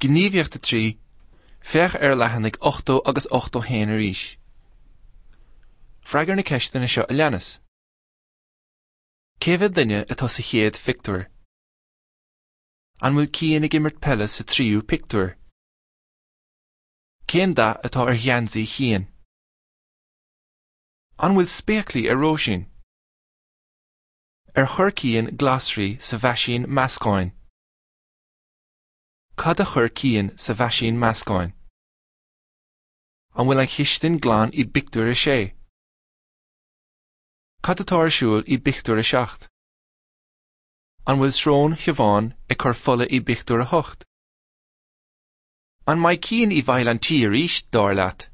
Gníomhaíocht 3, Féach ar leathanaigh 80 agus 81 arís. Freagair na ceisteanna seo a leanas. Cé mhéad duine atá sa chéad phictiúr? An bhfuil Cian ag imirt peile sa tríú pictiúr? Cén dath atá ar gheansaí Chian? An bhfuil spéaclaí ar Róisín? Ar chuir Cian glasraí sa mheaisín meascáin? Cad a chuir Cian sa mheaisín meascáin? An bhfuil an chistin glan i bpictiúr a sé? Cad atá ar siúl i bpictiúr a 7? An bhfuil srón Shiobhán ag cur fola i bpictiúr a 8? An mbeidh Cian i bhfeighil an tí arís, dar leat?